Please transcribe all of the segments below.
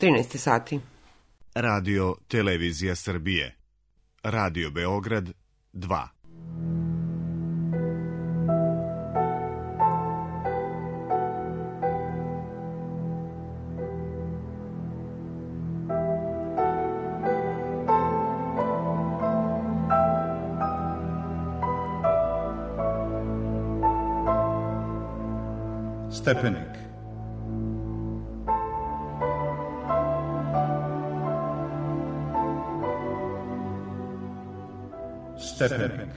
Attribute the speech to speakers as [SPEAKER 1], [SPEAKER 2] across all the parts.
[SPEAKER 1] 13 sati.
[SPEAKER 2] Radio Televizija Srbije. Radio Beograd 2.
[SPEAKER 3] Stepenik. Stepenik.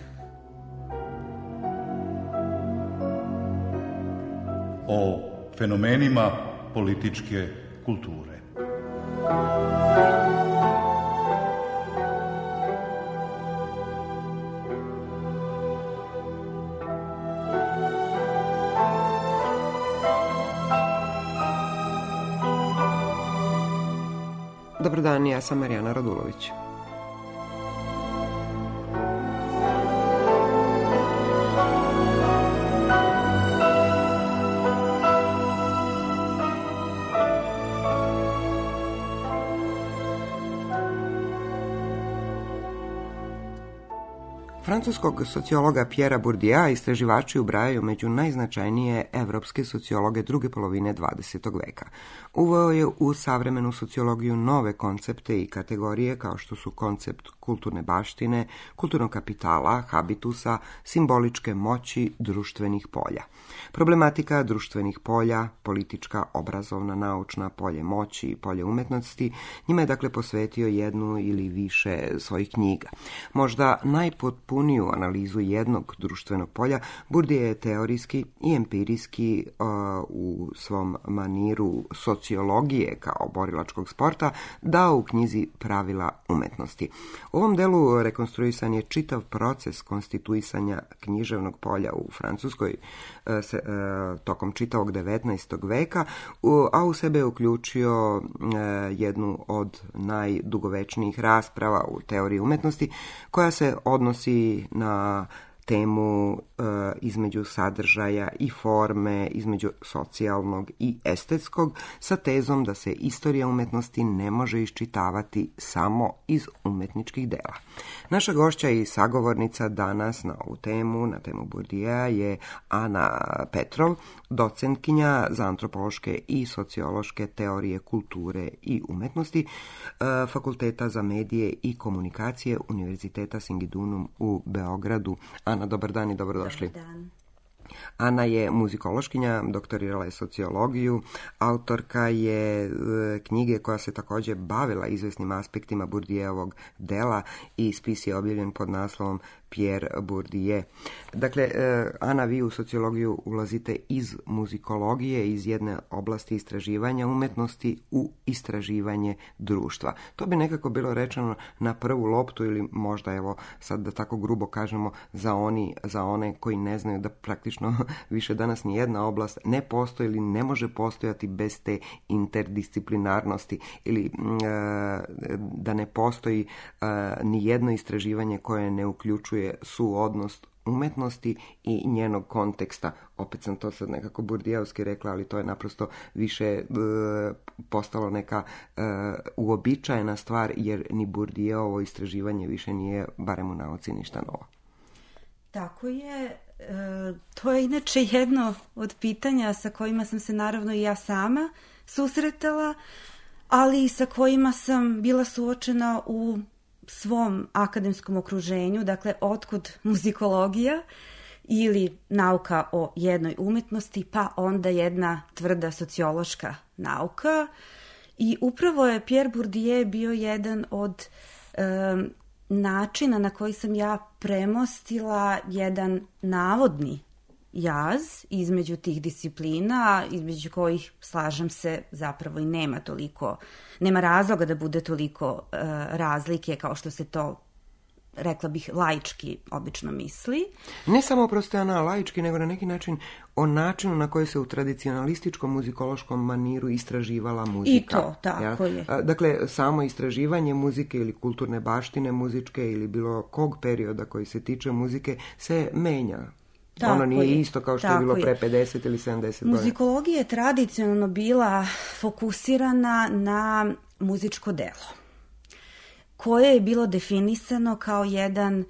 [SPEAKER 3] O fenomenima političke kulture.
[SPEAKER 1] Dobar dan, ja sam Marijana Radulović. Francuskog sociologa Pierra Bourdieu'a istraživači ubrajaju među najznačajnije evropske sociologe druge polovine 20. veka. Uveo je u savremenu sociologiju nove koncepte i kategorije kao što su koncept kulturne baštine, kulturnog kapitala, habitusa, simboličke moći, društvenih polja. Problematika društvenih polja, politička, obrazovna, naučna, polje moći i polje umetnosti, njima je dakle posvetio jednu ili više svojih knjiga. Možda najpotpuniju analizu jednog društvenog polja Bourdieu je teorijski i empirijski u svom maniru sociologije kao borilačkog sporta dao u knjizi Pravila umetnosti. U ovom delu rekonstruisan je čitav proces konstituisanja književnog polja u Francuskoj tokom čitavog 19. veka, a u sebe je uključio jednu od najdugovečnijih rasprava u teoriji umetnosti koja se odnosi na temu između sadržaja i forme, između socijalnog i estetskog, sa tezom da se istorija umetnosti ne može iščitavati samo iz umetničkih dela. Naša gošća i sagovornica danas na ovu temu, na temu Bourdieu'a, je Ana Petrov, docentkinja za antropološke i sociološke teorije kulture i umetnosti Fakulteta za medije i komunikacije Univerziteta Singidunum u Beogradu. Ana, dobar dan i dobrodošli.
[SPEAKER 4] Dobar dan.
[SPEAKER 1] Ana je muzikološkinja, doktorirala je sociologiju, autorka je knjige koja se također bavila izvesnim aspektima Bourdieuovog dela i spis je objavljen pod naslovom Pierre Bourdieu. Dakle, Ana, vi u sociologiju ulazite iz muzikologije, iz jedne oblasti istraživanja umetnosti u istraživanje društva. To bi nekako bilo rečeno na prvu loptu ili možda, evo, sad da tako grubo kažemo, za one koji ne znaju da praktično više danas ni jedna oblast ne postoji ili ne može postojati bez te interdisciplinarnosti ili da ne postoji ni jedno istraživanje koje ne uključuje suodnos umetnosti i njenog konteksta. Opet sam to sad nekako burdijevski rekla, ali to je naprosto više postalo neka uobičajena stvar, jer ni Bourdieuovo istraživanje više nije, barem u nauci, ništa novo.
[SPEAKER 4] Tako je. To je inače jedno od pitanja sa kojima sam se naravno i ja sama susretala, ali i sa kojima sam bila suočena u svom akademskom okruženju, dakle otkud muzikologija ili nauka o jednoj umetnosti, pa onda jedna tvrda sociološka nauka. I upravo je Pierre Bourdieu bio jedan od načina na koji sam ja premostila jedan navodni jaz između tih disciplina, između kojih, slažem se, zapravo i nema razloga da bude toliko razlike kao što se to, rekla bih, laički obično misli.
[SPEAKER 1] Ne samo prosto laički, nego na neki način o načinu na koji se u tradicionalističkom muzikološkom maniru istraživala muzika.
[SPEAKER 4] I to, tako je.
[SPEAKER 1] Dakle, samo istraživanje muzike ili kulturne baštine muzičke ili bilo kog perioda koji se tiče muzike se menja Ono nije isto kao što je bilo pre 50 ili 70 godina.
[SPEAKER 4] Muzikologija je tradicionalno bila fokusirana na muzičko delo, koje je bilo definisano kao jedan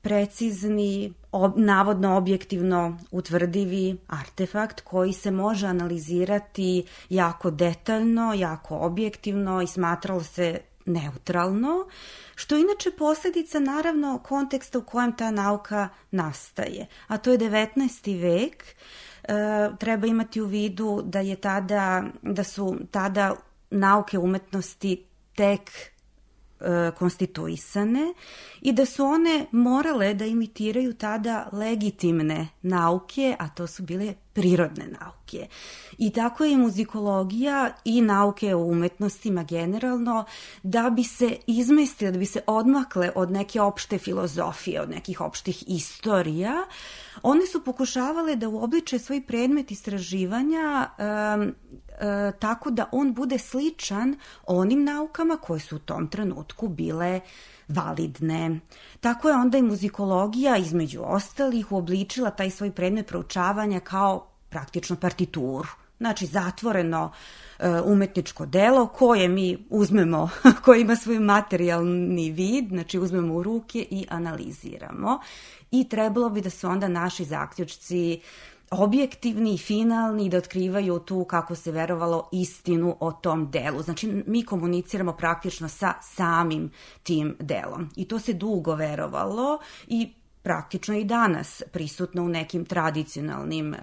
[SPEAKER 4] precizni, navodno objektivno utvrdivi artefakt koji se može analizirati jako detaljno, jako objektivno i smatralo se neutralno, što je inače posljedica naravno konteksta u kojem ta nauka nastaje. A to je 19. vek. Treba imati u vidu da su tada nauke umetnosti tek konstituisane i da su one morale da imitiraju tada legitimne nauke, a to su bile prirodne nauke. I tako je i muzikologija i nauke o umetnostima generalno, da bi se izmestile, da bi se odmakle od neke opšte filozofije, od nekih opštih istorija, one su pokušavale da uobliče svoj predmet istraživanja tako da on bude sličan onim naukama koje su u tom trenutku bile validne. Tako je onda i muzikologija između ostalih uobličila taj svoj predmet proučavanja kao praktično partituru. Znači zatvoreno umetničko delo koje mi uzmemo, koje ima svoj materijalni vid, znači uzmemo u ruke i analiziramo. I trebalo bi da su onda naši zaključci objektivni i finalni, da otkrivaju tu, kako se verovalo, istinu o tom delu. Znači, mi komuniciramo praktično sa samim tim delom. I to se dugo verovalo i praktično i danas prisutno u nekim tradicionalnim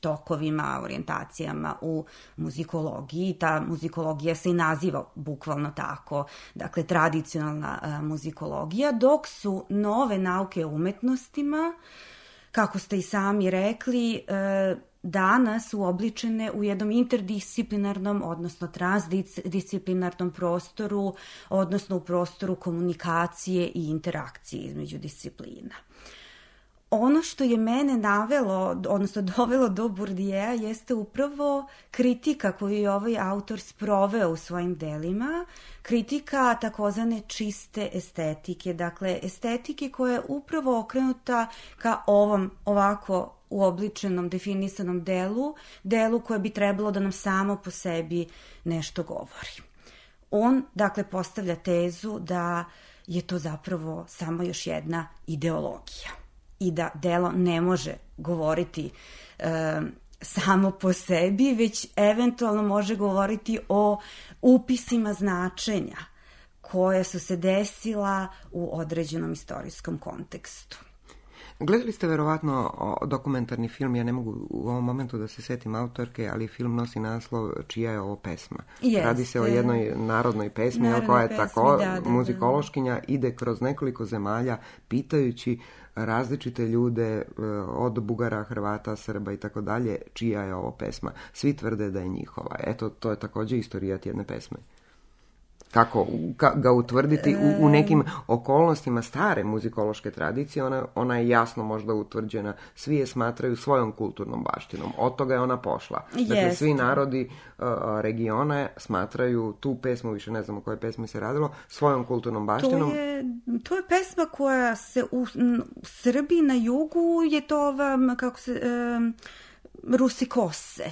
[SPEAKER 4] tokovima, orijentacijama u muzikologiji. Ta muzikologija se i naziva bukvalno tako, dakle tradicionalna muzikologija, dok su nove nauke o umetnostima, kako ste i sami rekli, danas uobličene u jednom interdisciplinarnom, odnosno transdisciplinarnom prostoru, odnosno u prostoru komunikacije i interakcije između disciplina. Ono što je mene navelo, odnosno dovelo do Bourdieu'a, jeste upravo kritika koju je ovaj autor sproveo u svojim delima, kritika takozvane čiste estetike, dakle estetike koja je upravo okrenuta ka ovom ovako uobličenom, definisanom delu koje bi trebalo da nam samo po sebi nešto govori. On, dakle, postavlja tezu da je to zapravo samo još jedna ideologija i da delo ne može govoriti samo po sebi, već eventualno može govoriti o upisima značenja koje su se desila u određenom istorijskom kontekstu.
[SPEAKER 1] Gledali ste verovatno dokumentarni film, ja ne mogu u ovom momentu da se setim autorke, ali film nosi naslov Čija je ovo pesma. Radi se o jednoj narodnoj pesmi koja je tako muzikološkinja, ide kroz nekoliko zemalja pitajući različite ljude od Bugara, Hrvata, Srba i tako dalje, čija je ovo pesma. Svi tvrde da je njihova. Eto, to je također istorijat jedne pesme. Kako ga utvrditi u nekim okolnostima stare muzikološke tradicije, ona je jasno možda utvrđena, svi je smatraju svojom kulturnom baštinom, od toga je ona pošla. Dakle, svi narodi regiona smatraju tu pesmu, više ne znam o kojoj pesmi se radilo, svojom kulturnom baštinom.
[SPEAKER 4] To je pesma koja se u Srbiji na jugu je to Rusi kose,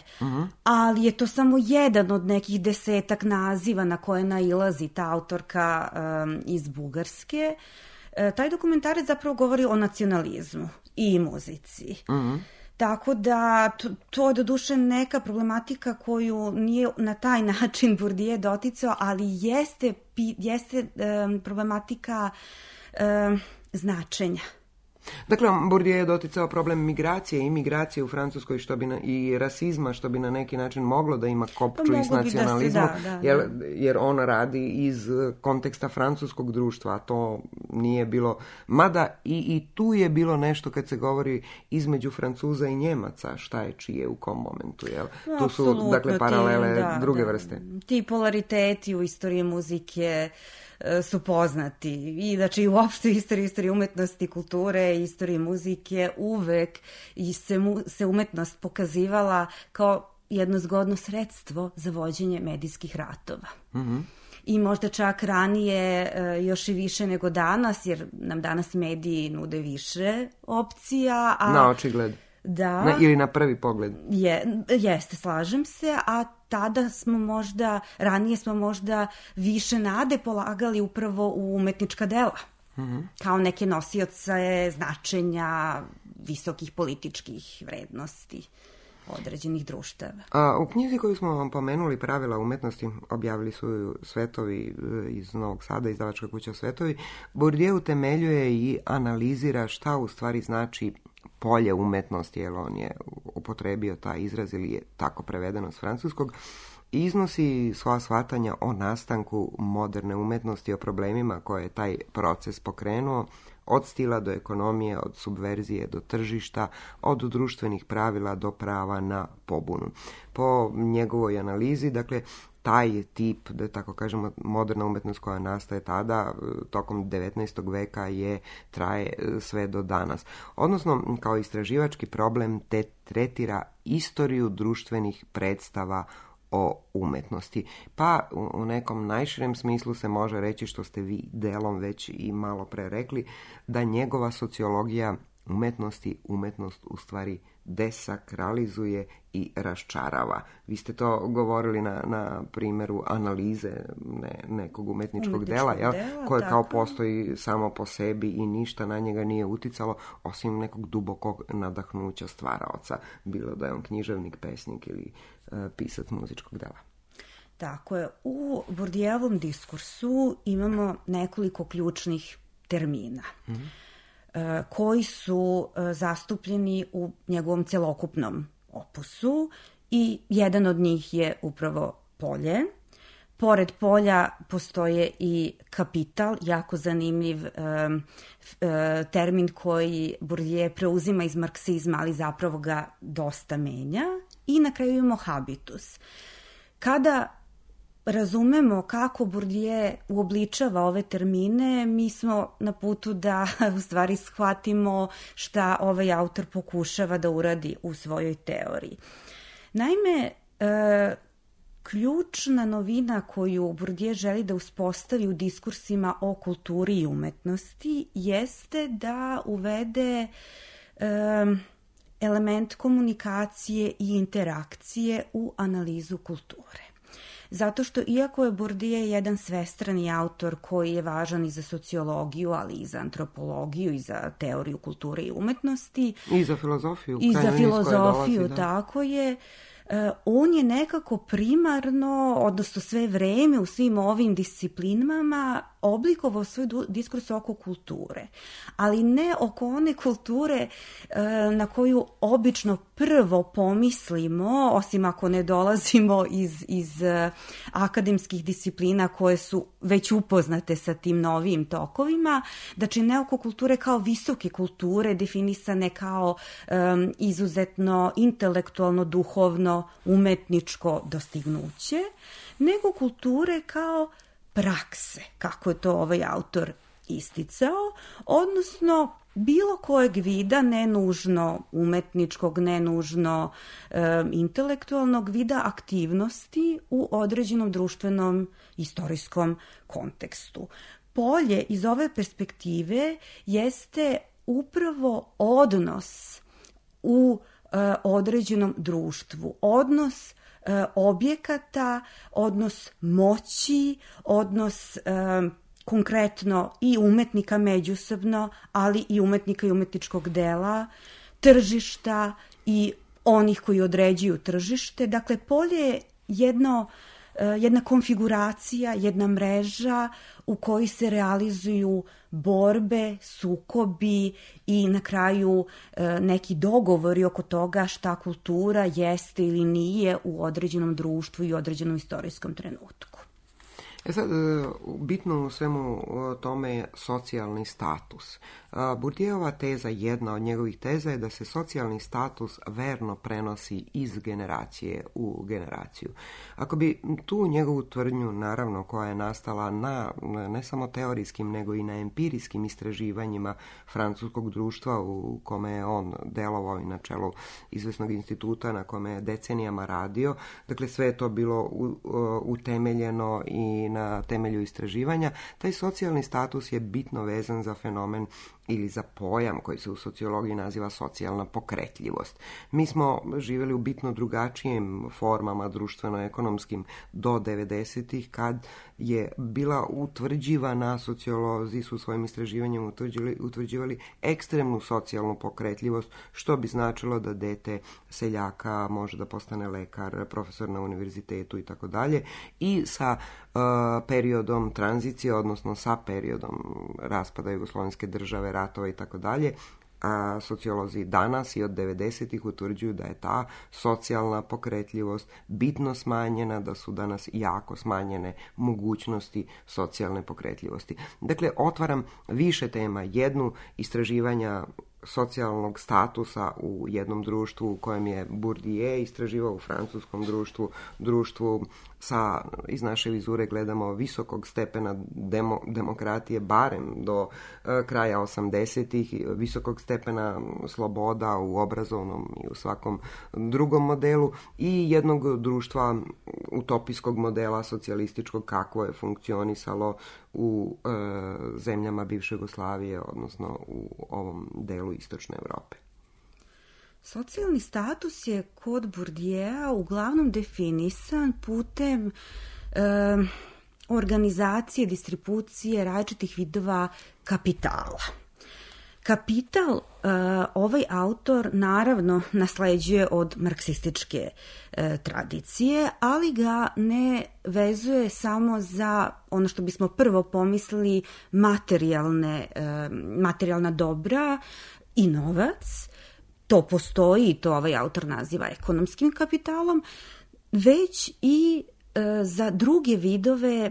[SPEAKER 4] ali je to samo jedan od nekih 10 naziva na koje nailazi ta autorka iz Bugarske. Taj dokumentarac zapravo govori o nacionalizmu i muzici. Tako da to je doduše neka problematika koju nije na taj način Bourdieu doticao, ali jeste problematika značenja.
[SPEAKER 1] Dakle, Bourdieu je doticao problem migracije i imigracije u Francuskoj i rasizma, što bi na neki način moglo da ima kopču i s nacionalizmom, jer on radi iz konteksta francuskog društva, a to nije bilo. Mada i tu je bilo nešto kad se govori između Francuza i Njemaca, šta je čije u kom momentu. Jel? Tu su, dakle, paralele druge vrste.
[SPEAKER 4] Ti polariteti u istoriji muzike su poznati i znači i uopšte istoriji umetnosti, kulture, istoriji muzike uvek se umetnost pokazivala kao jedno zgodno sredstvo za vođenje medijskih ratova. I možda čak ranije još i više nego danas, jer nam danas mediji nude više opcija.
[SPEAKER 1] Na očigled.
[SPEAKER 4] Da.
[SPEAKER 1] Ili na prvi pogled.
[SPEAKER 4] Jeste, slažem se, a ranije smo možda više nade polagali upravo u umetnička dela. Kao neke nosioce značenja visokih političkih vrednosti određenih društava.
[SPEAKER 1] U knjizi koju smo vam pomenuli, Pravila umetnosti, objavili su Svetovi iz Novog Sada, izdavačka kuća Svetovi, Bourdieu utemeljuje i analizira šta u stvari znači polje umetnosti, jer on je upotrebio taj izraz ili je tako prevedeno s francuskog, i iznosi svoja shvatanja o nastanku moderne umetnosti, o problemima koje je taj proces pokrenuo, od stila do ekonomije, od subverzije do tržišta, od društvenih pravila do prava na pobunu. Po njegovoj analizi, dakle, taj tip, da tako kažemo, moderna umetnost koja nastaje tada, tokom 19. veka traje sve do danas. Odnosno, kao istraživački problem tretira istoriju društvenih predstava o umetnosti. Pa u nekom najširem smislu se može reći, što ste vi delom već i malo pre rekli, da njegova sociologija umetnosti umetnost u stvari desakralizuje i raščarava. Vi ste to govorili na primjeru analize nekog umetničkog dela, koje kao postoji samo po sebi i ništa na njega nije uticalo, osim nekog dubokog nadahnuća stvaraoca, bilo da je on književnik, pesnik ili pisac muzičkog dela.
[SPEAKER 4] Tako je. U Bourdieovom diskursu imamo nekoliko ključnih termina koji su zastupljeni u njegovom celokupnom opusu i jedan od njih je upravo polje. Pored polja postoje i kapital, jako zanimljiv termin koji Bourdieu preuzima iz marksizma, ali zapravo ga dosta menja. I na kraju imamo habitus. Kada razumemo kako Bourdieu uobličava ove termine, mi smo na putu da u stvari shvatimo šta ovaj autor pokušava da uradi u svojoj teoriji. Naime, ključna novina koju Bourdieu želi da uspostavi u diskursima o kulturi i umetnosti jeste da uvede element komunikacije i interakcije u analizu kulture. Zato što iako je Bourdieu jedan svestrani autor koji je važan i za sociologiju, ali i za antropologiju i za teoriju kulture i umetnosti.
[SPEAKER 1] I za filozofiju.
[SPEAKER 4] I za filozofiju, tako je. On je nekako primarno, odnosno sve vreme u svim ovim disciplinama oblikovao svoj diskurs oko kulture, ali ne oko one kulture na koju obično prvo pomislimo, osim ako ne dolazimo iz akademskih disciplina koje su već upoznate sa tim novim tokovima, znači ne oko kulture kao visoke kulture, definisane kao izuzetno intelektualno, duhovno, umetničko dostignuće, nego kulture kao prakse, kako je to ovaj autor isticao, odnosno bilo kojeg vida, ne nužno umetničkog, ne nužno intelektualnog vida aktivnosti u određenom društvenom istorijskom kontekstu. Polje iz ove perspektive jeste upravo odnos u određenom društvu, odnos objekata, odnos moći, odnos konkretno i umetnika međusobno, ali i umetnika i umetničkog dela, tržišta i onih koji određuju tržište. Dakle, polje je jedna konfiguracija, jedna mreža u kojoj se realizuju borbe, sukobi i na kraju neki dogovori oko toga šta kultura jeste ili nije u određenom društvu i određenom istorijskom trenutku.
[SPEAKER 1] Sad, bitno u svemu tome je socijalni status. Bourdieuova teza, jedna od njegovih teza je da se socijalni status verno prenosi iz generacije u generaciju. Ako bi tu njegovu tvrdnju, naravno, koja je nastala na ne samo teorijskim, nego i na empirijskim istraživanjima francuskog društva u kome je on delovao i na čelu izvesnog instituta na kome je decenijama radio, dakle sve je to bilo utemeljeno i na temelju istraživanja, taj socijalni status je bitno vezan za fenomen ili za pojam koji se u sociologiji naziva socijalna pokretljivost. Mi smo živjeli u bitno drugačijim formama društveno-ekonomskim do 90-ih, kad je bila utvrđivana, sociolozi su svojim istraživanjem utvrđivali ekstremnu socijalnu pokretljivost, što bi značilo da dete seljaka može da postane lekar, profesor na univerzitetu i tako dalje. I sa periodom tranzicije, odnosno sa periodom raspada jugoslovenske države, ratova i tako dalje, a sociolozi danas i od 90-ih utvrđuju da je ta socijalna pokretljivost bitno smanjena, da su danas jako smanjene mogućnosti socijalne pokretljivosti. Dakle, otvaram više tema. Jednu, istraživanja socijalnog statusa u jednom društvu u kojem je Bourdieu istraživao, u francuskom društvu sa, iz naše vizure gledamo, visokog stepena demokratije, barem do kraja 80-ih, visokog stepena sloboda u obrazovnom i u svakom drugom modelu, i jednog društva utopijskog modela socijalističkog kakvo je funkcionisalo u zemljama bivše Jugoslavije, odnosno u ovom delu istočne Evrope.
[SPEAKER 4] Socijalni status je kod Bourdieu'a uglavnom definisan putem organizacije, distribucije različitih vidova kapitala. Kapital ovaj autor naravno nasleđuje od marksističke tradicije, ali ga ne vezuje samo za ono što bismo prvo pomislili materijalna dobra i novac. To postoji i to ovaj autor naziva ekonomskim kapitalom, već i za druge vidove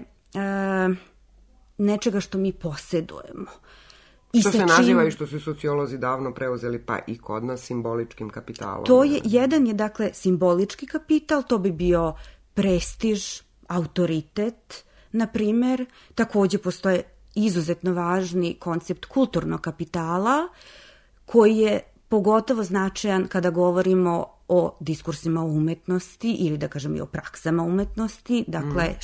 [SPEAKER 4] nečega što mi posedujemo.
[SPEAKER 1] Što se naziva i što su sociolozi davno preuzeli, pa i kod nas, simboličkim kapitalom.
[SPEAKER 4] Jedan je dakle simbolički kapital, to bi bio prestiž, autoritet, na primer. Takođe postoje izuzetno važni koncept kulturnog kapitala, koji je pogotovo značajan kada govorimo o diskursima o umetnosti ili da kažem i o praksama umetnosti, dakle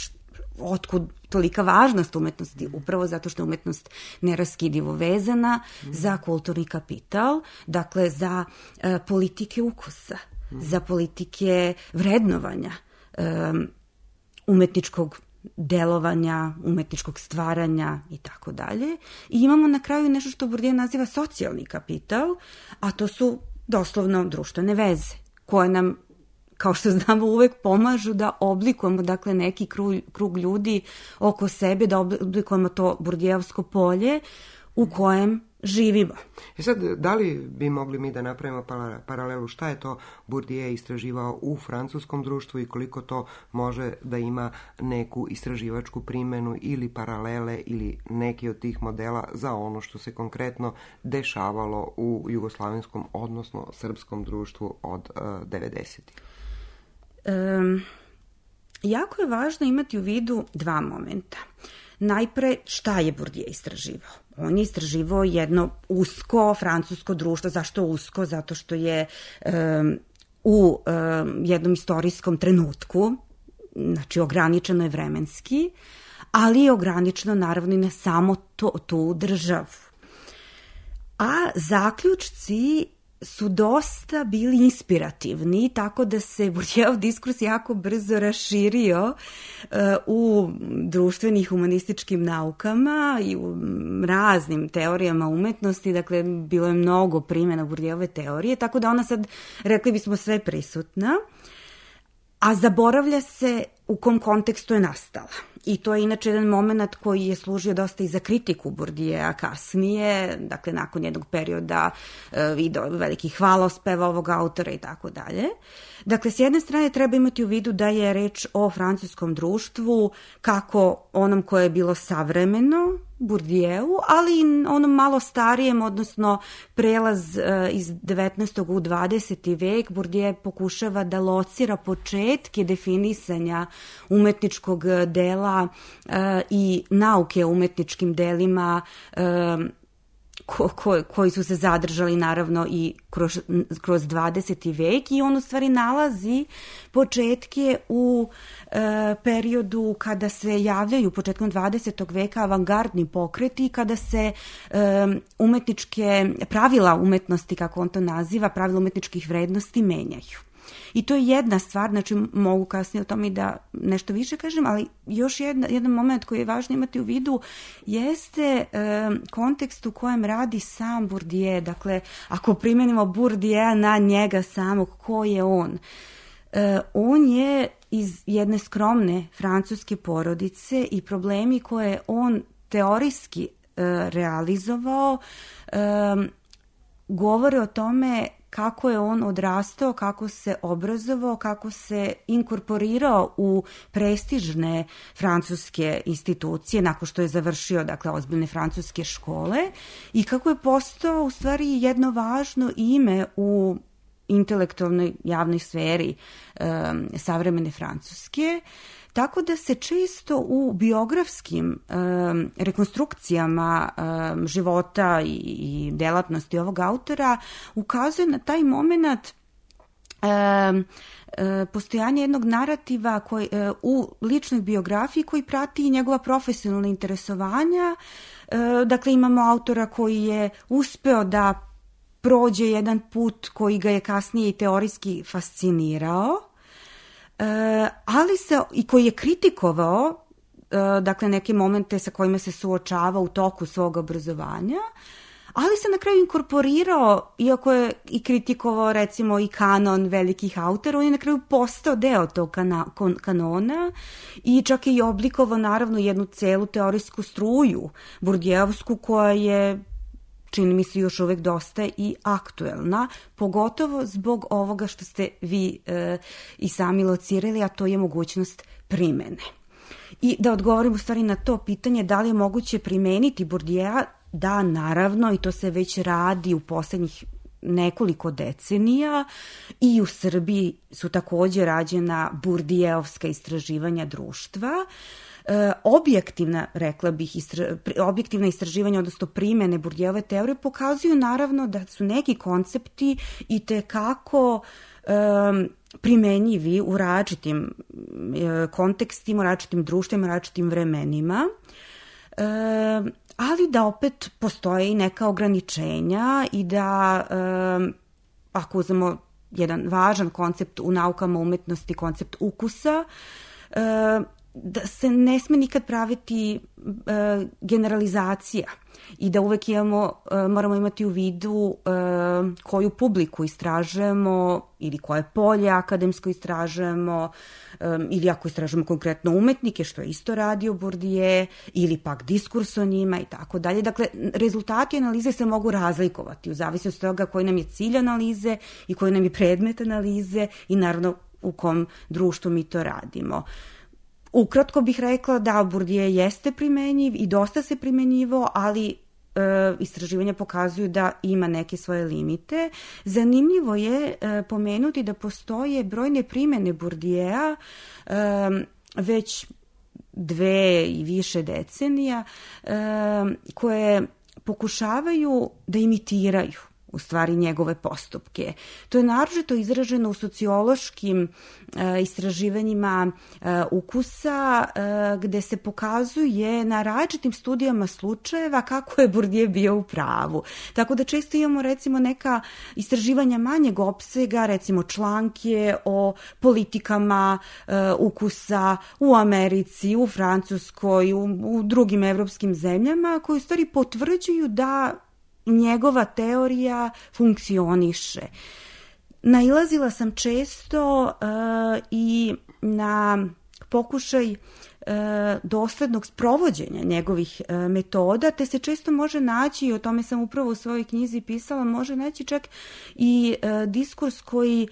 [SPEAKER 4] otkud tolika važnost umetnosti, upravo zato što je umetnost neraskidivo vezana za kulturni kapital, dakle za politike ukusa, za politike vrednovanja, umetničkog delovanja, umetničkog stvaranja i tako dalje. I imamo na kraju nešto što Bourdieu naziva socijalni kapital, a to su doslovno društvene veze, koje nam, kao što znamo, uvek pomažu da oblikujemo dakle neki krug ljudi oko sebe, da oblikujemo to Bourdieuovsko polje u kojem živimo.
[SPEAKER 1] Sad, da li bi mogli mi da napravimo paralelu šta je to Bourdieu istraživao u francuskom društvu i koliko to može da ima neku istraživačku primenu ili paralele ili neki od tih modela za ono što se konkretno dešavalo u jugoslavenskom, odnosno srpskom društvu od 90-ih?
[SPEAKER 4] Jako je važno imati u vidu dva momenta. Najpre, šta je Bourdieu istraživao? On je istraživao jedno usko francusko društvo. Zašto usko? Zato što je u jednom istorijskom trenutku, znači ograničeno je vremenski, ali je ograničeno naravno i na samo tu državu. A zaključci su dosta bili inspirativni, tako da se Bourdieuov diskurs jako brzo raširio u društvenim humanističkim naukama i u raznim teorijama umetnosti, dakle bilo je mnogo primjena Bourdieuove teorije, tako da ona sad, rekli bismo, sve prisutna, a zaboravlja se u kom kontekstu je nastala. I to je inače jedan moment koji je služio dosta i za kritiku Bourdieu'a kasnije, dakle nakon jednog perioda video velikih hvalospeva ovog autora i tako dalje. Dakle, s jedne strane treba imati u vidu da je reč o francuskom društvu kako onom koje je bilo savremeno Bourdieu'u, ali i onom malo starijem, odnosno prelaz iz 19. u 20. vek. Bourdieu pokušava da locira početke definisanja umetničkog dela i nauke o umetničkim delima koji su se zadržali naravno i kroz 20. vek, i on u stvari nalazi početke u periodu kada se javljaju početkom 20. veka avangardni pokreti, kada se pravila umetnosti, kako on to naziva, pravila umetničkih vrednosti menjaju. I to je jedna stvar, znači mogu kasnije o tome i da nešto više kažem, ali još jedan moment koji je važno imati u vidu jeste kontekst u kojem radi sam Bourdieu. Dakle, ako primenimo Bourdieu'a na njega samog, ko je on? On je iz jedne skromne francuske porodice i problemi koje on teorijski realizovao govore o tome kako je on odrastao, kako se obrazovao, kako se inkorporirao u prestižne francuske institucije nakon što je završio, dakle, ozbiljne francuske škole, i kako je postao u stvari jedno važno ime u intelektualnoj javnoj sferi savremene Francuske. Tako da se često u biografskim rekonstrukcijama života i delatnosti ovog autora ukazuje na taj moment postojanje jednog narativa u ličnoj biografiji koji prati i njegova profesionalna interesovanja. Dakle, imamo autora koji je uspeo da prođe jedan put koji ga je kasnije i teorijski fascinirao, ali i koji je kritikovao, dakle, neke momente sa kojima se suočava u toku svog obrazovanja, ali se na kraju inkorporirao, iako je i kritikovao recimo i kanon velikih autora, on je na kraju postao deo tog kanona i čak je i oblikovao naravno jednu celu teorijsku struju Bourdieu'sku koja je, čini mi se, još uvek dosta i aktuelna, pogotovo zbog ovoga što ste vi i sami locirali, a to je mogućnost primene. I da odgovorim u stvari na to pitanje da li je moguće primeniti Bourdieu'a, da, naravno, i to se već radi u poslednjih nekoliko decenija, i u Srbiji su takođe rađena Bourdieu'ovska istraživanja društva. Objektivna, rekla bih, objektivna istraživanja, odnosno primene Bourdieu'ove teorije pokazuju naravno da su neki koncepti itekako primenjivi u različitim kontekstima, u različitim društvima, u različitim vremenima, ali da opet postoje i neka ograničenja i da, ako uzmemo jedan važan koncept u naukama umetnosti, koncept ukusa, da se ne sme nikad praviti generalizacija i da uvek moramo imati u vidu koju publiku istražujemo ili koje polje akademsko istražujemo, ili ako istražujemo konkretno umetnike, što je isto radio Bourdieu, ili pak diskurs o njima i tako dalje. Dakle, rezultati analize se mogu razlikovati u zavisnosti od toga koji nam je cilj analize i koji nam je predmet analize i naravno u kom društvu mi to radimo. Ukratko bih rekla da Bourdieu jeste primenjiv i dosta se primenjivo, ali istraživanja pokazuju da ima neke svoje limite. Zanimljivo je pomenuti da postoje brojne primene Bourdieu'a već 2 i više decenija koje pokušavaju da imitiraju u stvari njegove postupke. To je naročito izraženo u sociološkim istraživanjima ukusa, gde se pokazuje na različitim studijama slučajeva kako je Bourdieu bio u pravu. Tako da često imamo recimo neka istraživanja manjeg opsega, recimo članke o politikama ukusa u Americi, u Francuskoj, u drugim evropskim zemljama, koji u stvari potvrđuju da njegova teorija funkcioniše. Nailazila sam često i na pokušaj doslednog sprovođenja njegovih metoda, te se često može naći, i o tome sam upravo u svojoj knjizi pisala, može naći čak i diskurs koji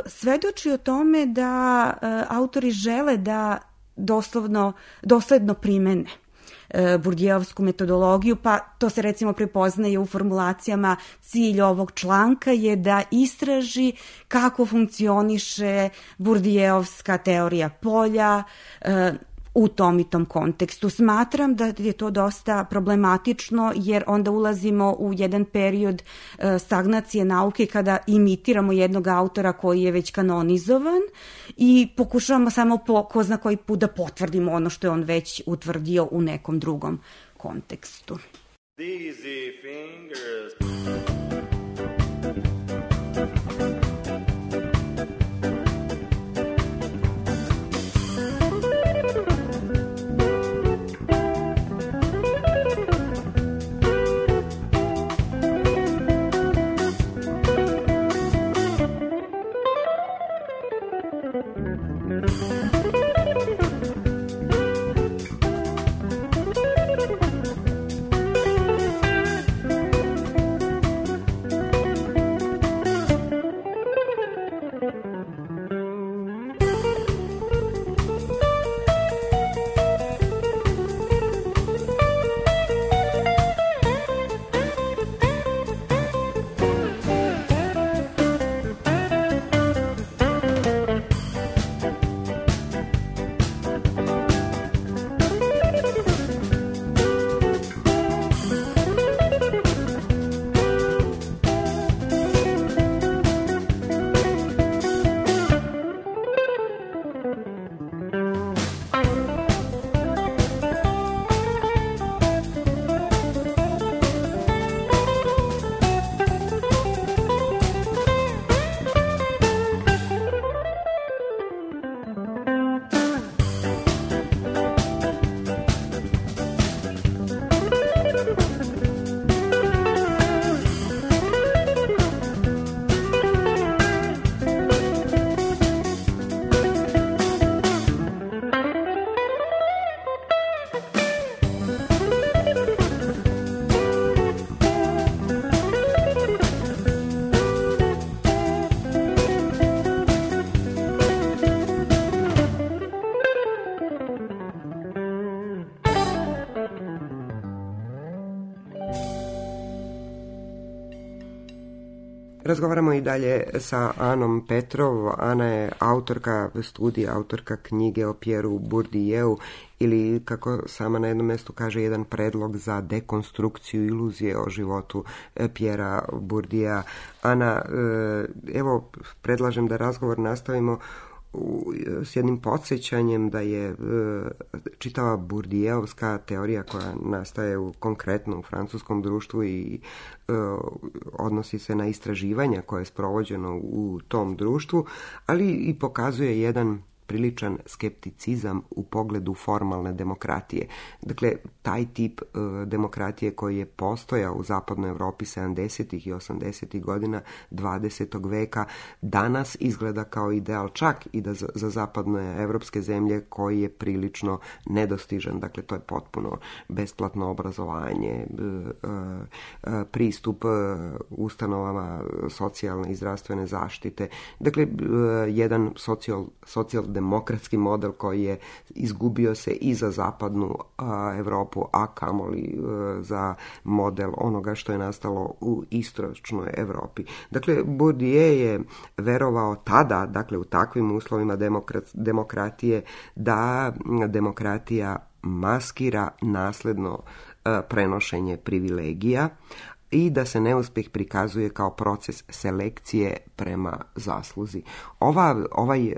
[SPEAKER 4] svedoči o tome da autori žele da dosledno primene Burdijevsku metodologiju, pa to se recimo prepoznaje u formulacijama: cilj ovog članka je da istraži kako funkcioniše Burdijevska teorija polja u tom i tom kontekstu. Smatram da je to dosta problematično, jer onda ulazimo u jedan period stagnacije nauke kada imitiramo jednog autora koji je već kanonizovan i pokušavamo samo ko zna koji put da potvrdimo ono što je on već utvrdio u nekom drugom kontekstu.
[SPEAKER 5] Easy fingers.
[SPEAKER 1] Razgovaramo i dalje sa Anom Petrov. Ana je autorka studija, autorka knjige o Pierreu Bourdieuu, ili kako sama na jednom mjestu kaže, jedan predlog za dekonstrukciju iluzije o životu Pierrea Bourdiea. Ana, evo, predlažem da razgovor nastavimo s jednim podsjećanjem da je čitava Bourdieuovska teorija koja nastaje konkretno u francuskom društvu i odnosi se na istraživanja koje je sprovođeno u tom društvu, ali i pokazuje jedan priličan skepticizam u pogledu formalne demokratije. Dakle, taj tip demokratije koji je postojao u zapadnoj Europi 70. i 80. godina 20. veka danas izgleda kao ideal, čak i da za zapadne evropske zemlje, koji je prilično nedostižan. Dakle, to je potpuno besplatno obrazovanje, pristup ustanovama socijalne i zdravstvene zaštite. Dakle, jedan socijaldemokratski model koji je izgubio se i za zapadnu Europu, a kamoli za model onoga što je nastalo u istočnoj Europi. Dakle, Bourdieu je verovao tada, dakle u takvim uslovima demokratije, da demokratija maskira nasledno prenošenje privilegija i da se neuspjeh prikazuje kao proces selekcije prema zasluzi. Ovaj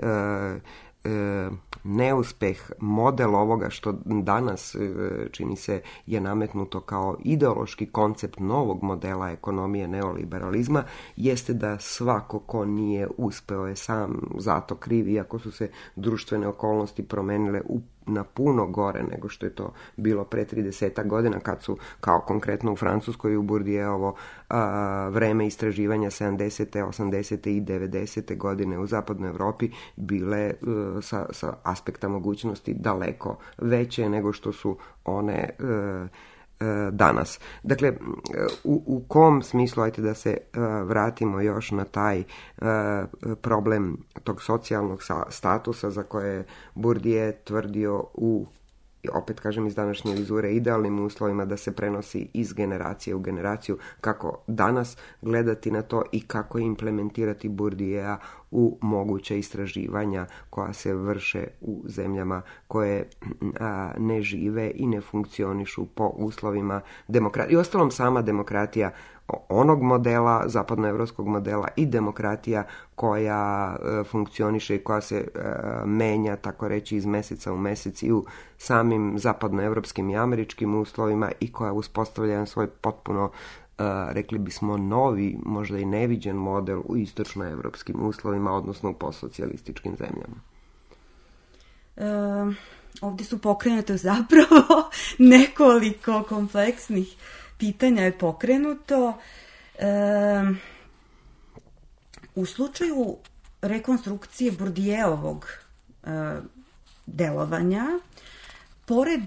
[SPEAKER 1] neuspjeh, model ovoga što danas čini se je nametnuto kao ideološki koncept novog modela ekonomije neoliberalizma, jeste da svako ko nije uspeo je sam zato kriv, iako su se društvene okolnosti promenile u na puno gore nego što je to bilo pre 30 godina, kad su, kao konkretno u Francuskoj, u Bourdieuovo vreme istraživanja 70. 80. i 90. godine u zapadnoj Evropi bile sa aspekta mogućnosti daleko veće nego što su one danas. Dakle, u kom smislu, ajte da se vratimo još na taj problem tog socijalnog statusa za koje je Bourdieu tvrdio opet kažem iz današnje vizure, idealnim uslovima da se prenosi iz generacije u generaciju, kako danas gledati na to i kako implementirati Bourdieu u moguće istraživanja koja se vrše u zemljama koje ne žive i ne funkcionišu po uslovima demokratije. I ostalom, sama demokratija onog modela, zapadnoevropskog modela, i demokratija koja funkcioniše i koja se menja, tako reći, iz meseca u mesec i u samim zapadnoevropskim i američkim uslovima i koja uspostavlja jedan svoj potpuno, rekli bismo, novi, možda i neviđen model u istočnoevropskim uslovima, odnosno u postsocijalističkim zemljama.
[SPEAKER 4] Ovdje su pokrenute zapravo nekoliko kompleksnih pitanja je pokrenuto. U slučaju rekonstrukcije Bourdieuovog delovanja, pored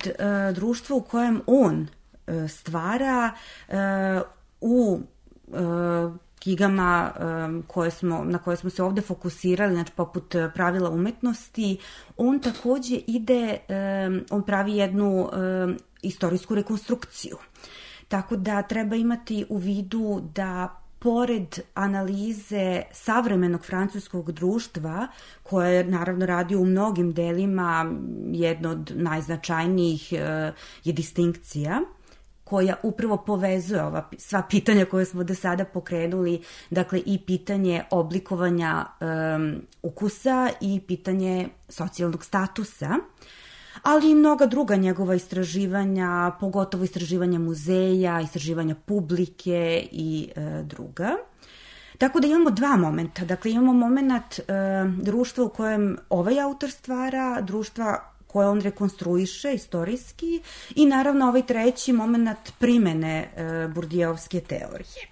[SPEAKER 4] društva u kojem on stvara, u knjigama na koje smo se ovdje fokusirali, znači poput Pravila umetnosti, on također on pravi jednu istorijsku rekonstrukciju. Tako da treba imati u vidu da pored analize savremenog francuskog društva, koje naravno radi u mnogim delima, jedno od najznačajnijih je distinkcija, koja upravo povezuje ova sva pitanja koje smo do sada pokrenuli, dakle i pitanje oblikovanja ukusa i pitanje socijalnog statusa, ali i mnoga druga njegova istraživanja, pogotovo istraživanja muzeja, istraživanja publike i druga. Tako da imamo dva momenta. Dakle, imamo moment društva u kojem ovaj autor stvara, društva koje on rekonstruiše istorijski, i naravno ovaj treći moment primene Bourdieuovske teorije.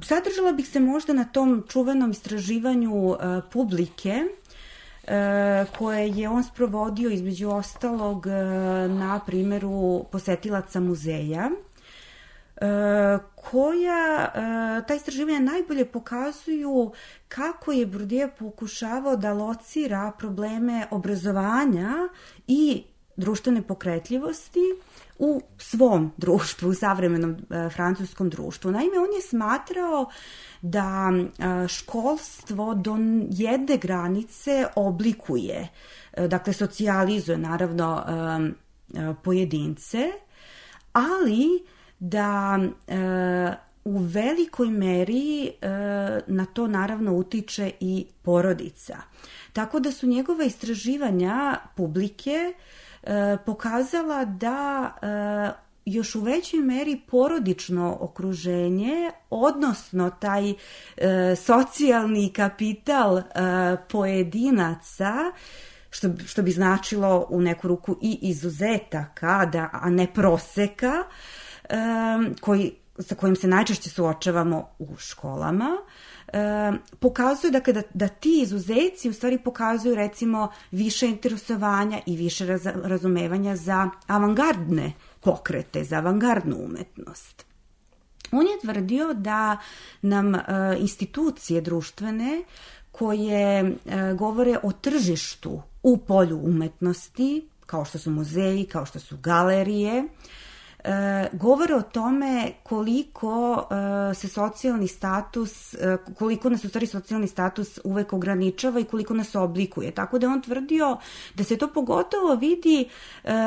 [SPEAKER 4] Zadržala bih se možda na tom čuvenom istraživanju publike, koje je on sprovodio između ostalog na primjeru posetilaca muzeja, ta istraživanja najbolje pokazuju kako je Bourdieu pokušavao da locira probleme obrazovanja i društvene pokretljivosti u svom društvu, u savremenom francuskom društvu. Naime, on je smatrao da školstvo do jedne granice oblikuje, dakle socijalizuje naravno pojedince, ali da u velikoj meri na to naravno utiče i porodica. Tako da su njegova istraživanja publike pokazala da još u većoj meri porodično okruženje, odnosno taj socijalni kapital pojedinaca, što bi značilo u neku ruku i izuzetaka, a ne proseka, sa kojim se najčešće suočavamo u školama, pokazuju dakle, da ti izuzeci u stvari pokazuju recimo više interesovanja i više razumevanja za avangardne pokrete, za avangardnu umetnost. On je tvrdio da nam institucije društvene koje govore o tržištu u polju umetnosti, kao što su muzeji, kao što su galerije, govore o tome koliko nas u stvari socijalni status uvek ograničava i koliko nas oblikuje. Tako da on tvrdio da se to pogotovo vidi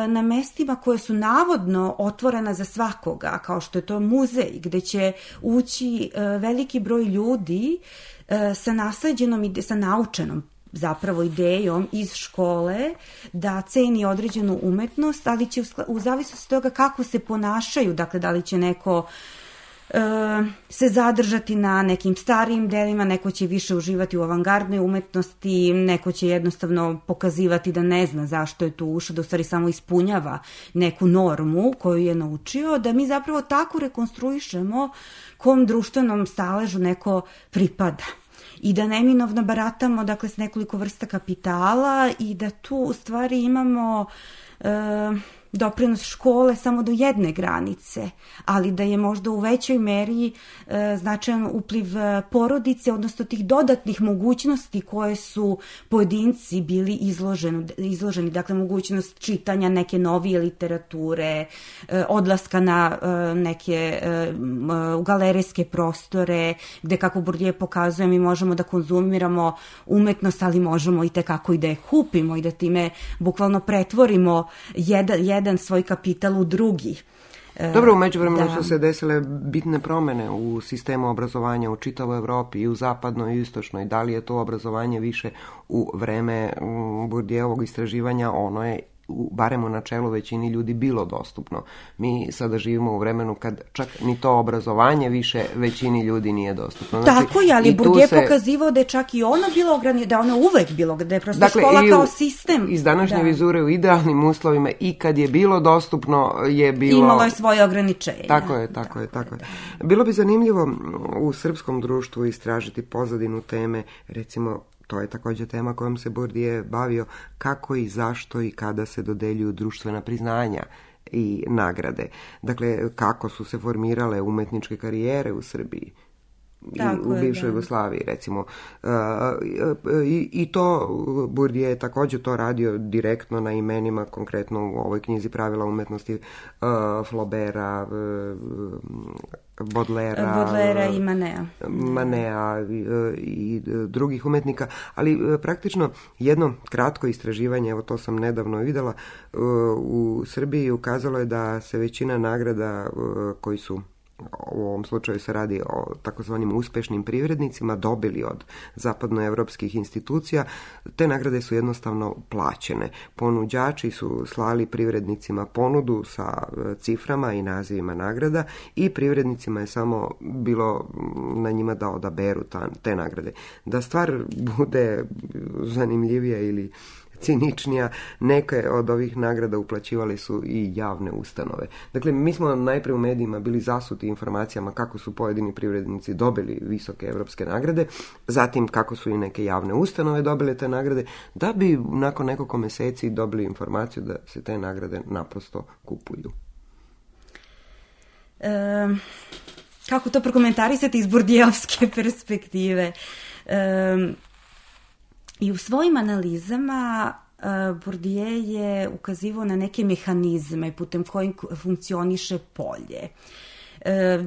[SPEAKER 4] na mestima koje su navodno otvorena za svakoga, kao što je to muzej, gde će ući veliki broj ljudi sa nasleđenom i sa naučenom zapravo idejom iz škole da ceni određenu umetnost, ali će u zavisnosti od toga kako se ponašaju, dakle da li će neko se zadržati na nekim starijim delima, neko će više uživati u avangardnoj umetnosti, neko će jednostavno pokazivati da ne zna zašto je tu ušao, da u stvari samo ispunjava neku normu koju je naučio, da mi zapravo tako rekonstruišemo kom društvenom staležu neko pripada. I da neminovno baratamo, dakle, s nekoliko vrsta kapitala i da tu u stvari imamo doprinos škole samo do jedne granice, ali da je možda u većoj meri značajan upliv porodice, odnosno tih dodatnih mogućnosti koje su pojedinci bili izloženi, dakle mogućnost čitanja neke novije literature, odlaska na neke galerijske prostore, gde, kako Bourdieu pokazuje, mi možemo da konzumiramo umetnost, ali možemo i tekako i da je kupimo i da time bukvalno pretvorimo jedan svoj kapital u drugi.
[SPEAKER 1] Dobro, u međuvremenu su se desile bitne promene u sistemu obrazovanja u čitavoj Evropi, i u zapadnoj i istočnoj. Da li je to obrazovanje više u vreme Bourdieuovog istraživanja? Ono je barem u načelu većini ljudi bilo dostupno. Mi sada živimo u vremenu kad čak ni to obrazovanje više većini ljudi nije dostupno.
[SPEAKER 4] Znači, tako je, ali Bourdieu pokazivao da je čak i ono bilo ograničeno, da ono uvek bilo, da je prosto škola kao sistem.
[SPEAKER 1] Iz današnje vizure u idealnim uslovima i kad je bilo dostupno je bilo...
[SPEAKER 4] Imalo je svoje ograničenja.
[SPEAKER 1] Tako je. Bilo bi zanimljivo u srpskom društvu istražiti pozadinu teme, recimo, to je također tema kojom se Bourdieu bavio, kako i zašto i kada se dodeljuju društvena priznanja i nagrade. Dakle, kako su se formirale umetničke karijere u Srbiji i u bivšoj Jugoslaviji, recimo. I to Bourdieu je također to radio direktno na imenima, konkretno u ovoj knjizi Pravila umetnosti, Flaubera, Baudelaira
[SPEAKER 4] i
[SPEAKER 1] Manea i drugih umetnika, ali praktično jedno kratko istraživanje, evo to sam nedavno vidjela, u Srbiji ukazalo je da se većina nagrada koji su, u ovom slučaju se radi o takozvanim uspešnim privrednicima, dobili od zapadnoevropskih institucija. Te nagrade su jednostavno plaćene. Ponuđači su slali privrednicima ponudu sa ciframa i nazivima nagrada i privrednicima je samo bilo na njima da odaberu te nagrade. Da stvar bude zanimljivija ili ciničnija, neke od ovih nagrada uplaćivali su i javne ustanove. Dakle, mi smo najprije u medijima bili zasuti informacijama kako su pojedini privrednici dobili visoke evropske nagrade, zatim kako su i neke javne ustanove dobile te nagrade, da bi nakon nekoliko meseci dobili informaciju da se te nagrade naprosto kupuju.
[SPEAKER 4] Kako to prokomentarisati iz Bourdieuovske perspektive? I u svojim analizama Bourdieu je ukazivao na neke mehanizme putem kojih funkcioniše polje.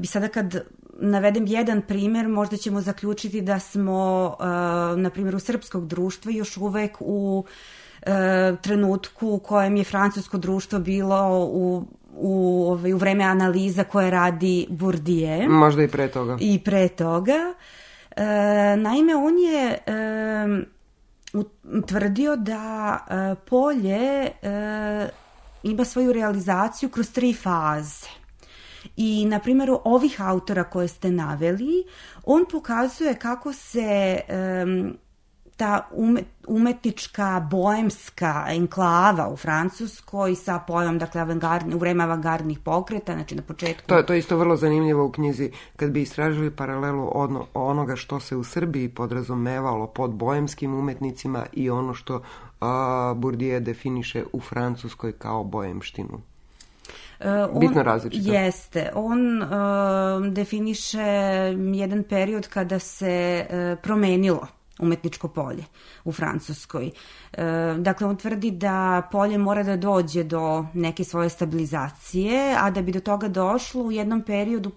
[SPEAKER 4] I sada kad navedem jedan primjer, možda ćemo zaključiti da smo, na primjeru srpskog društva, još uvek u trenutku u kojem je francusko društvo bilo u vreme analiza koje radi Bourdieu.
[SPEAKER 1] Možda i pre toga.
[SPEAKER 4] Naime, on je utvrdio da polje ima svoju realizaciju kroz 3 faze. I na primjeru ovih autora koje ste naveli, on pokazuje kako se ta umetnička boemska enklava u Francuskoj sa pojmom, dakle, u vreme avangardnih pokreta, znači na početku...
[SPEAKER 1] To je isto vrlo zanimljivo u knjizi, kad bi istražili paralelu onoga što se u Srbiji podrazumevalo pod boemskim umetnicima i ono što Bourdieu definiše u Francuskoj kao boemštinu. Bitno različito.
[SPEAKER 4] Jeste. On definiše jedan period kada se promenilo umetničko polje u Francuskoj. Dakle, on tvrdi da polje mora da dođe do neke svoje stabilizacije, a da bi do toga došlo u jednom periodu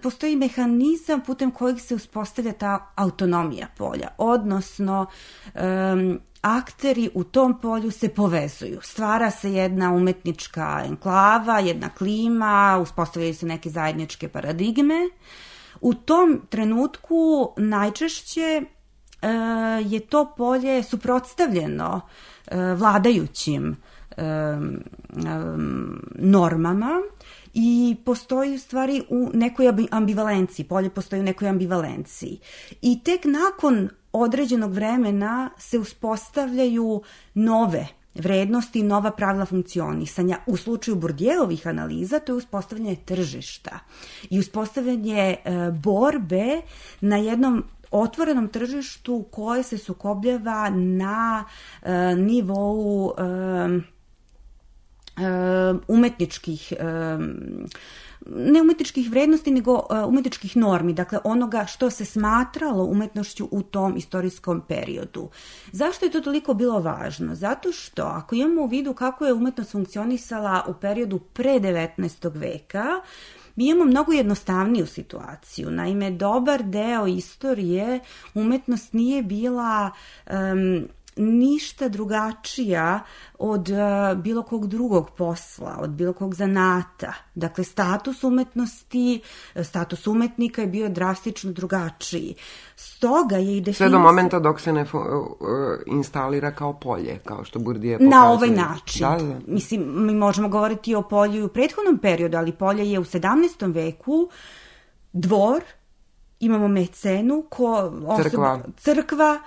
[SPEAKER 4] postoji mehanizam putem kojeg se uspostavlja ta autonomija polja, odnosno akteri u tom polju se povezuju. Stvara se jedna umetnička enklava, jedna klima, uspostavljaju se neke zajedničke paradigme. U tom trenutku najčešće je to polje suprotstavljeno vladajućim normama i postoji u stvari u nekoj ambivalenciji, polje postoji u nekoj ambivalenciji. I tek nakon određenog vremena se uspostavljaju nove vrednosti i nova pravila funkcionisanja. U slučaju Bourdieuovih analiza to je uspostavljanje tržišta i uspostavljanje borbe na jednom otvorenom tržištu koje se sukobljava na nivou umetničkih ne umetničkih vrednosti, nego umetničkih normi, dakle onoga što se smatralo umetnošću u tom istorijskom periodu. Zašto je to toliko bilo važno? Zato što ako imamo u vidu kako je umetnost funkcionisala u periodu pre 19. veka, mi imamo mnogo jednostavniju situaciju. Naime, dobar deo istorije umetnost nije bila ništa drugačija od bilo kog drugog posla, od bilo kog zanata. Dakle, status umetnosti, status umetnika je bio drastično drugačiji. Stoga je i definicija...
[SPEAKER 1] Sve do momenta dok se ne instalira kao polje, kao što Bourdieu pokazuje.
[SPEAKER 4] Na ovaj način.
[SPEAKER 1] Da.
[SPEAKER 4] Mislim, mi možemo govoriti o polju i u prethodnom periodu, ali polje je u 17. veku dvor, imamo mecenu, crkva,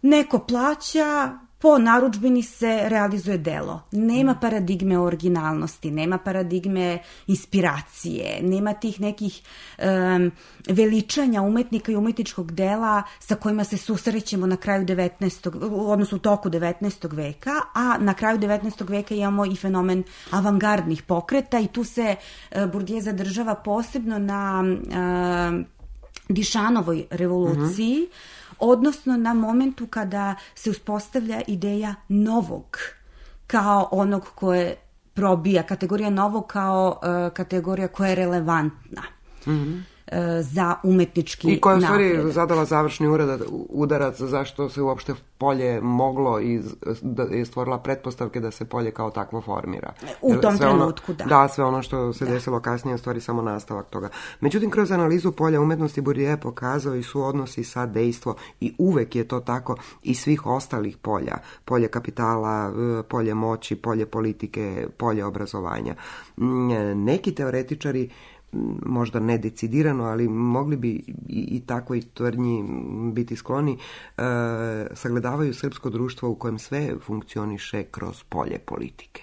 [SPEAKER 4] neko plaća, po narudžbini se realizuje delo. Nema paradigme originalnosti, nema paradigme inspiracije, nema tih nekih veličanja umetnika i umetničkog dela sa kojima se susrećemo na kraju 19. odnosno u toku 19. veka, a na kraju 19. veka imamo i fenomen avangardnih pokreta i tu se Bourdieu zadržava posebno na Dišanovoj revoluciji, odnosno na momentu kada se uspostavlja ideja novog kao onog koje probija, kategorija novog kao kategorija koja je relevantna za umetnički napredak.
[SPEAKER 1] I koja je u stvari zadala završni udarac zašto se uopšte polje moglo i je stvorila pretpostavke da se polje kao takvo formira.
[SPEAKER 4] U tom trenutku, da.
[SPEAKER 1] Da, sve ono što se desilo kasnije je u stvari samo nastavak toga. Međutim, kroz analizu polja umetnosti Bourdieu je pokazao i suodnosi sa dejstvo i uvek je to tako i svih ostalih polja. Polje kapitala, polje moći, polje politike, polje obrazovanja. Neki teoretičari možda ne decidirano, ali mogli bi i takvoj tvrdnji biti skloni, sagledavaju srpsko društvo u kojem sve funkcioniše kroz polje politike.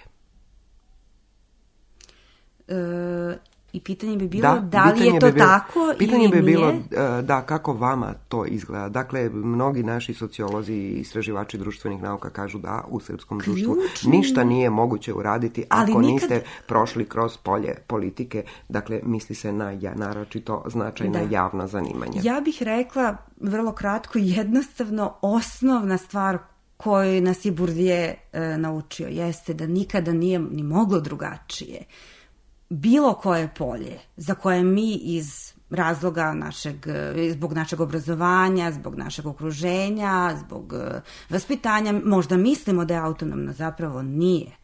[SPEAKER 4] I pitanje bi bilo da li je to tako ili nije?
[SPEAKER 1] Pitanje bi bilo da, kako vama to izgleda. Dakle, mnogi naši sociolozi i istraživači društvenih nauka kažu da u srpskom društvu ništa nije moguće uraditi ako niste prošli kroz polje politike. Dakle, misli se na naročito značajna javna zanimanja.
[SPEAKER 4] Ja bih rekla vrlo kratko i jednostavno osnovna stvar koju nas je Bourdieu naučio jeste da nikada nije ni moglo drugačije. Bilo koje polje za koje mi iz razloga zbog našeg obrazovanja, zbog našeg okruženja, zbog vaspitanja, možda mislimo da je autonomno, zapravo nije.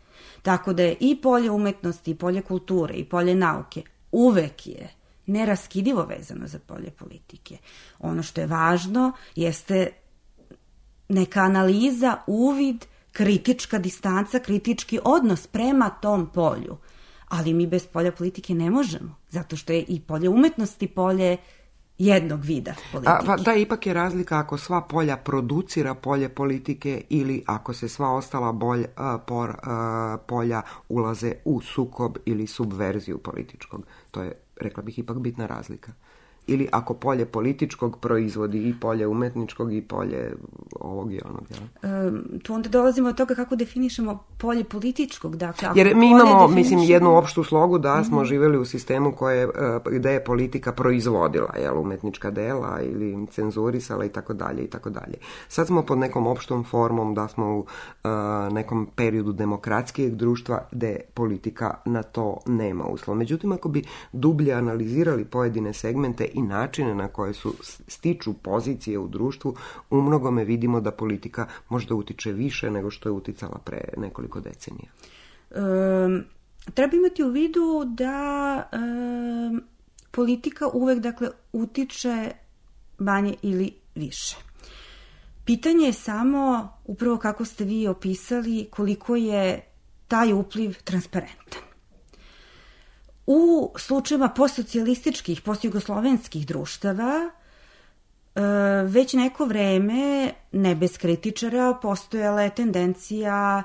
[SPEAKER 4] Tako da je i polje umetnosti, i polje kulture, i polje nauke uvek je neraskidivo vezano za polje politike. Ono što je važno jeste neka analiza, uvid, kritička distanca, kritički odnos prema tom polju. Ali mi bez polja politike ne možemo, zato što je i polje umetnosti polje jednog vida politike.
[SPEAKER 1] Da, ipak je razlika ako sva polja producira polje politike ili ako se sva ostala polja ulaze u sukob ili subverziju političkog. To je, rekla bih, ipak bitna razlika. Ili ako polje političkog proizvodi i polje umetničkog i polje ovog i onog.
[SPEAKER 4] Tu onda dolazimo od toga kako definišemo polje političkog. Dakle,
[SPEAKER 1] jer mi imamo, jednu opštu slogu da smo živjeli u sistemu gde je politika proizvodila umetnička dela ili cenzurisala i tako dalje. Sad smo pod nekom opštom formom da smo u nekom periodu demokratskijeg društva gde politika na to nema uslova. Međutim, ako bi dublje analizirali pojedine segmente i načine na koje stiču pozicije u društvu, u mnogome vidimo da politika možda utiče više nego što je uticala pre nekoliko decenija.
[SPEAKER 4] Treba imati u vidu da politika uvek, utiče manje ili više. Pitanje je samo, upravo kako ste vi opisali, koliko je taj upliv transparentan. U slučajima postsocijalističkih, postjugoslovenskih društava već neko vreme, ne bez kritičara, postojala je tendencija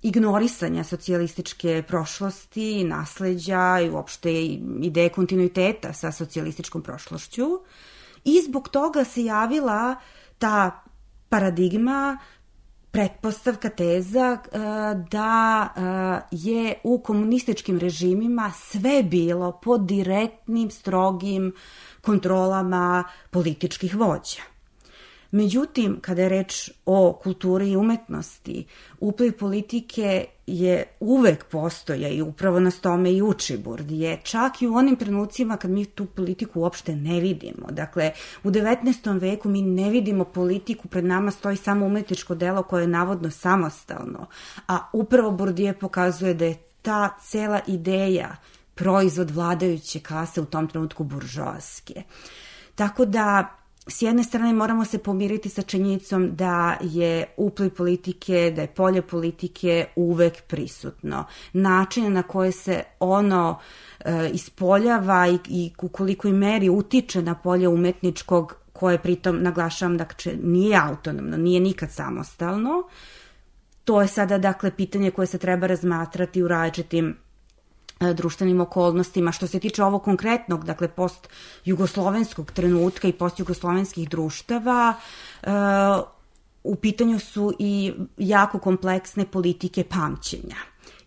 [SPEAKER 4] ignorisanja socijalističke prošlosti, nasleđa i uopšte ideje kontinuiteta sa socijalističkom prošlošću. I zbog toga se javila ta paradigma, pretpostavka, teza da je u komunističkim režimima sve bilo pod direktnim, strogim kontrolama političkih vođa. Međutim, kada je reč o kulturi i umetnosti, upliv politike je uvek postoja i upravo nas tome i uči Bourdieu, čak i u onim trenucima kad mi tu politiku uopšte ne vidimo. Dakle, u 19. veku mi ne vidimo politiku, pred nama stoji samo umetničko delo koje je navodno samostalno, a upravo Bourdieu pokazuje da je ta cela ideja proizvod vladajuće klase, u tom trenutku buržoaske. Tako da, s jedne strane moramo se pomiriti sa činjenicom da je upliv politike, da je polje politike uvek prisutno. Način na koje se ono ispoljava i u kolikoj meri utiče na polje umetničkog, koje pritom, naglašavam, dakle, nije autonomno, nije nikad samostalno. To je sada, dakle, pitanje koje se treba razmatrati u različitim društvenim okolnostima. Što se tiče ovog konkretnog, dakle, post-jugoslovenskog trenutka i post-jugoslovenskih društava, u pitanju su i jako kompleksne politike pamćenja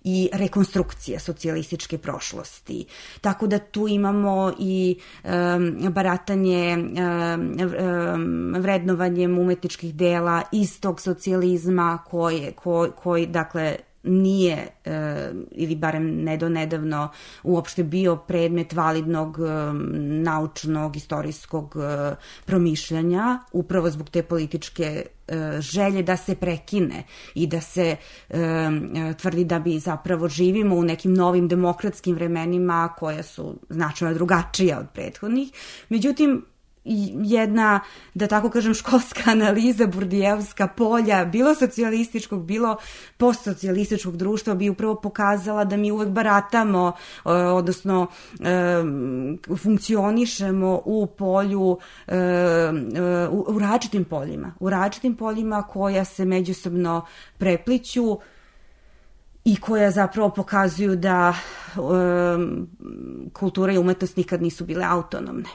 [SPEAKER 4] i rekonstrukcije socijalističke prošlosti. Tako da tu imamo i baratanje vrednovanjem umetničkih dela iz tog socijalizma koji dakle, nije, ili barem nedavno, uopšte bio predmet validnog naučnog, istorijskog promišljanja, upravo zbog te političke želje da se prekine i da se tvrdi da bi zapravo živimo u nekim novim demokratskim vremenima koja su značajno drugačija od prethodnih. Međutim, jedna, da tako kažem, školska analiza Bourdieuovska polja, bilo socijalističkog, bilo postsocijalističkog društva, bi upravo pokazala da mi uvek baratamo, odnosno funkcionišemo u polju, u različitim poljima koja se međusobno prepliću i koja zapravo pokazuju da kultura i umetnost nikad nisu bile autonomne.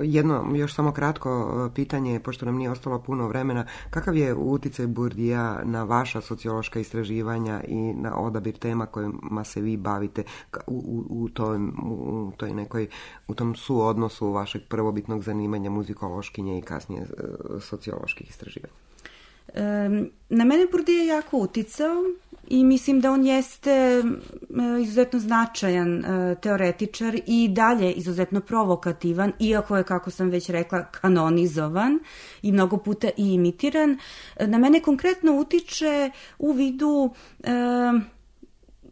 [SPEAKER 1] Jedno, još samo kratko pitanje, pošto nam nije ostalo puno vremena. Kakav je uticaj Bourdieu na vaša sociološka istraživanja i na odabir tema kojima se vi bavite u tom suodnosu vašeg prvobitnog zanimanja muzikološkinje i kasnije socioloških istraživanja?
[SPEAKER 4] Na mene Bourdieu jako uticao i mislim da on jeste izuzetno značajan teoretičar i dalje izuzetno provokativan, iako je, kako sam već rekla, kanonizovan i mnogo puta i imitiran. Na mene konkretno utiče u vidu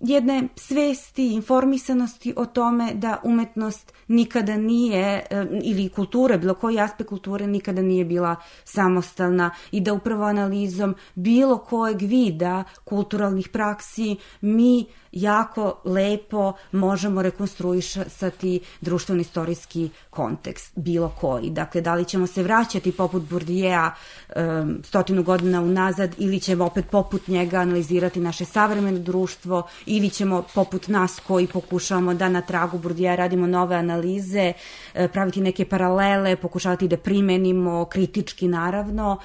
[SPEAKER 4] jedne svesti, informisanosti o tome da umetnost nikada nije, ili kultura, bilo koji aspekt kulture nikada nije bila samostalna i da upravo analizom bilo kojeg vida kulturalnih praksi mi jako lepo možemo rekonstruisati društveno-istorijski kontekst, bilo koji. Dakle, da li ćemo se vraćati poput Bourdieu 100 godina unazad ili ćemo opet poput njega analizirati naše savremeno društvo ili ćemo poput nas koji pokušavamo da na tragu Bourdieu radimo nove analize, praviti neke paralele, pokušavati da primenimo kritički, naravno.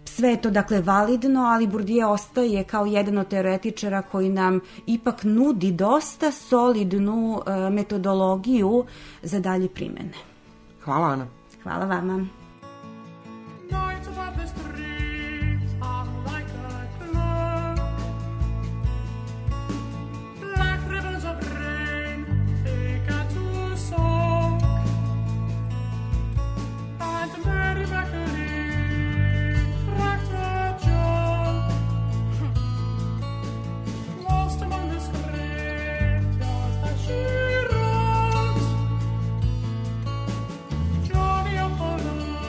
[SPEAKER 4] Sve je to, dakle, validno, ali Bourdieu ostaje kao jedan od teoretičara koji nam ipak nudi dosta solidnu metodologiju za dalje primene.
[SPEAKER 1] Hvala, Ana.
[SPEAKER 4] Hvala vama.
[SPEAKER 6] Johnny Apollo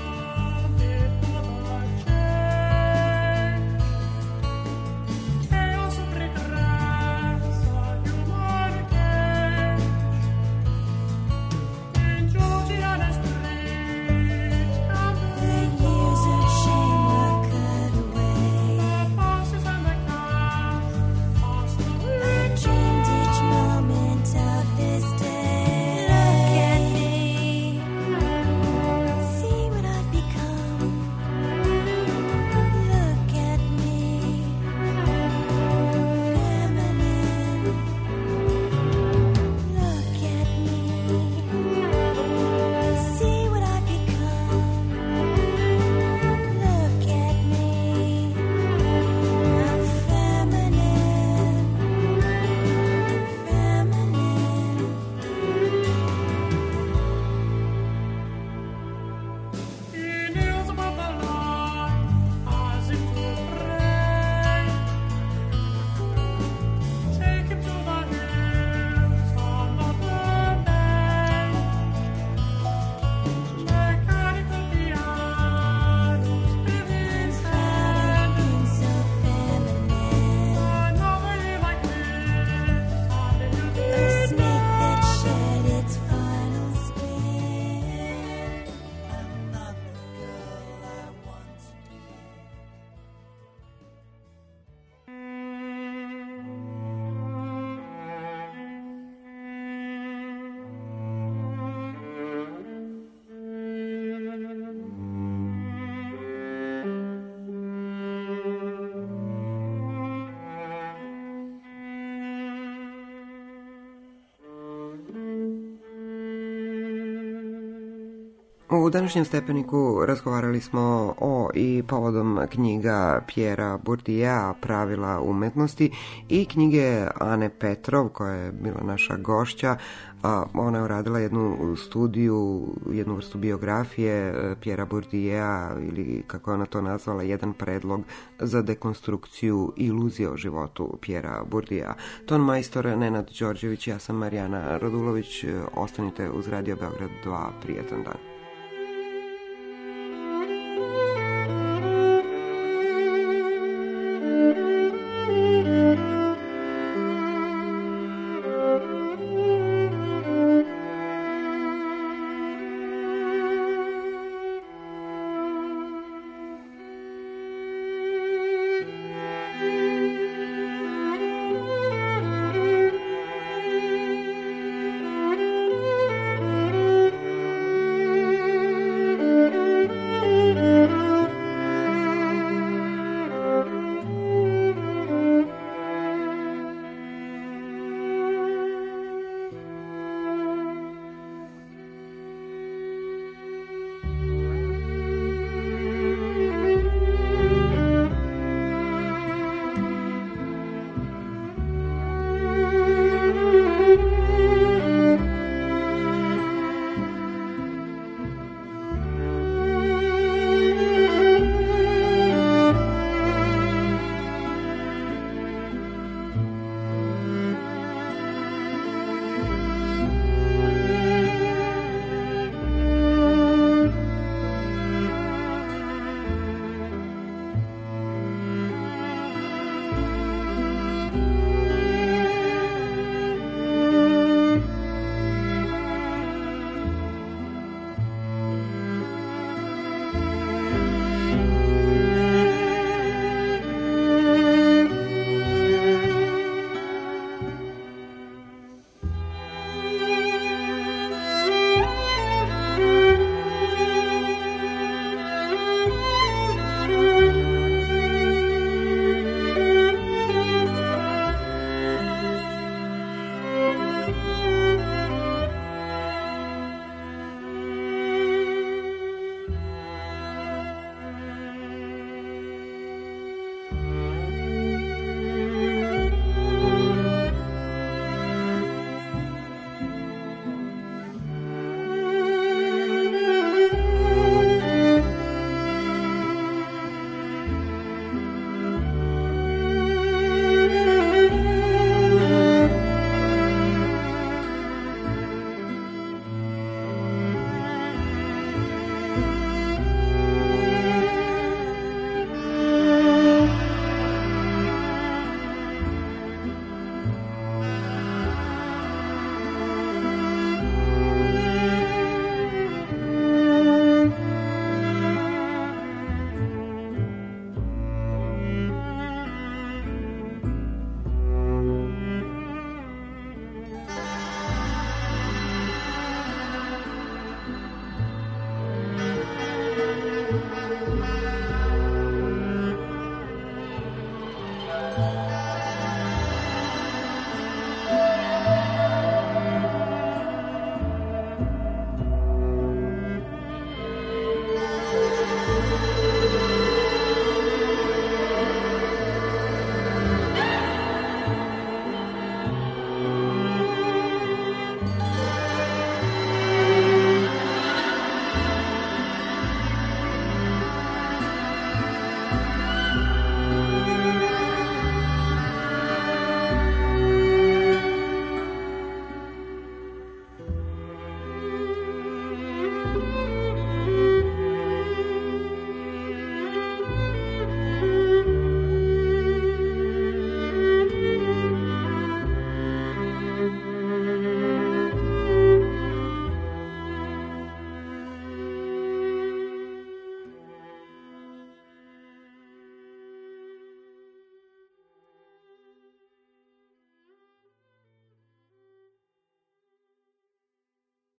[SPEAKER 1] U današnjem stepeniku razgovarali smo o i povodom knjiga Pjera Bourdieu'a Pravila umetnosti i knjige Ane Petrov, koja je bila naša gošća. Ona je uradila jednu studiju, jednu vrstu biografije Pjera Bourdieu'a, ili kako je ona to nazvala, jedan predlog za dekonstrukciju iluzije o životu Pjera Bourdieu'a. Ton majstor Nenad Đorđević, ja sam Marijana Radulović. Ostanite uz Radio Beograd 2. Prijetan dan.